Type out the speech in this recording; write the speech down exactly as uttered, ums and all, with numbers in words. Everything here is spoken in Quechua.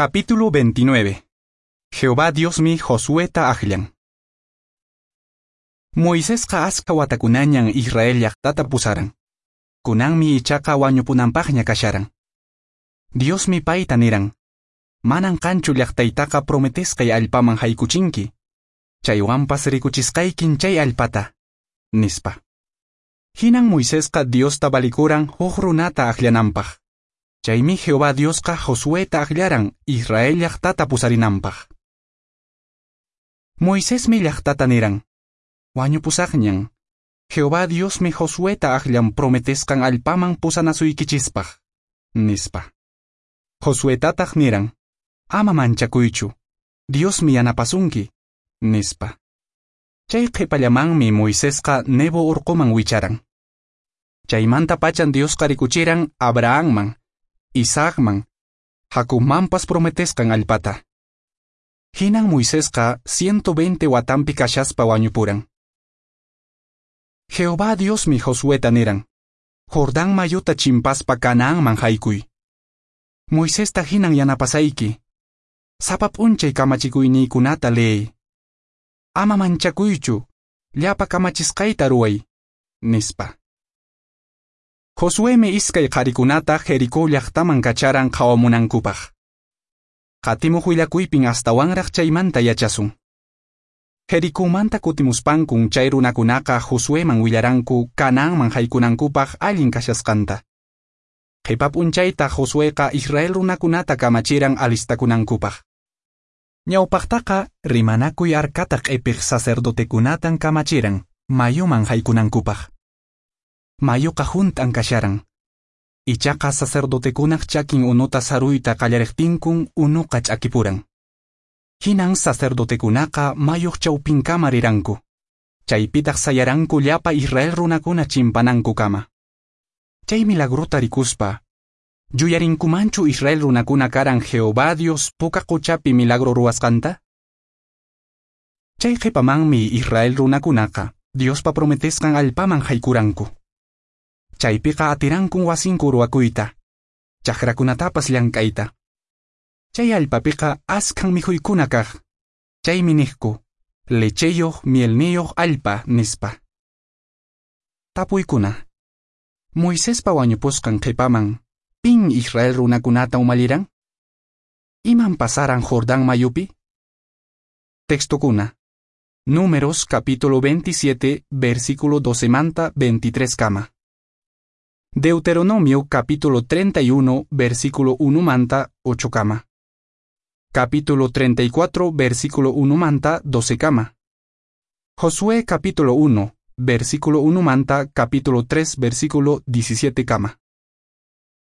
Capítulo veintinueve. Jehová Diosmi Josueta akllan. Moisesqa askha watakunañan Israel llaqtata pusaran. Kunanmi ichaqa wañupunanpaqña kasharan. Diosmi payta niran: Manan qanchu llaqtaytaqa prometesqay allpaman haykuchinki. Chaywanpas rikuchisqaykin chay allpata, nispa. Hinan Moisesqa Diosta valikuran huk runata akllananpaq. Chaymi Jehová Diosqa Josueta akllaran Israel llaqtata pusarinanpaq. Moisesmi llaqtata niran: Wañupusaqñan. Jehová Diosmi Josueta akllan prometesqan allpaman pusanasuykichispaq, nispa. Josuetataq niran: Ama manchakuychu, Diosmi yanapasunki, nispa. Chay qhipallamanmi Moisesqa Nebo urquman wicharan. Chaymanta pachan Diosqa rikuchiran Abrahamman, Isaacman, Jacobmanpas prometesqan allpata. Hinan Moisesqa ciento veinte watanpi kashaspa wañupuran. Jehová Diosmi Josueta niran: Jordán mayuta chimpaspa Canaanman haykuy. Moisesta hinan yanapasayki. Sapa p'unchay kamachikuyniykunata leey. Ama manchakuychu, llapa kamachisqayta ruway, nispa. Josuemi iskay qharikunata Jericó llaqtaman kacharan qhawamunankupaq. Qatimuq willakuypin astawanraq chaymanta yachasun. Jericómanta kutimuspankun chay runakunaqa Josueman willaranku Canaanman haykunankupaq allin kashasqanta. Qhipa p'unchayta Josueqa Israel runakunata kamachiran alistakunankupaq. Ñawpaqtaqa rimanakuy arkata q'ipiq sacerdotekunatan kamachiran mayuman haykunankupaq. Mayuqa hunt'an kasharan. Ichaqa sacerdotekunaq chakin unuta saruyta qallariqtinkun unuqa ch'akipuran. Hinan sacerdotekunaqa mayuq chawpinkama riranku. Chaypitaq sayaranku llapa Israel runakuna chimpanankukama. Chay milagrota rikuspa, yuyarinkumanchu Israel runakuna karan Jehová Dios puka quchapi milagro ruwasqanta? Chay qhipamanmi Israel runakunaqa Diospa prometesqan allpaman haykuranku. Chaypiqa atirankun wasinku ruwakuyta, chakrakunatapas llank'ayta. Chay allpapiqa askhan mikhuykuna kaq. Chaymi niqku, lecheyuq mielniyuq allpa, nispa. Tapuykuna. Moisespa wañupusqan qhipaman, pin Israel runakunata umalliran? Iman pasaran Jordán mayupi? Textokuna. Números capítulo veintisiete, versículo doce manta veintitrés kama. Deuteronomio capítulo treinta y uno, versículo uno manta ocho kama. Capítulo treinta y cuatro, versículo uno manta doce kama. Josué capítulo uno, versículo uno manta capítulo tres, versículo diecisiete kama.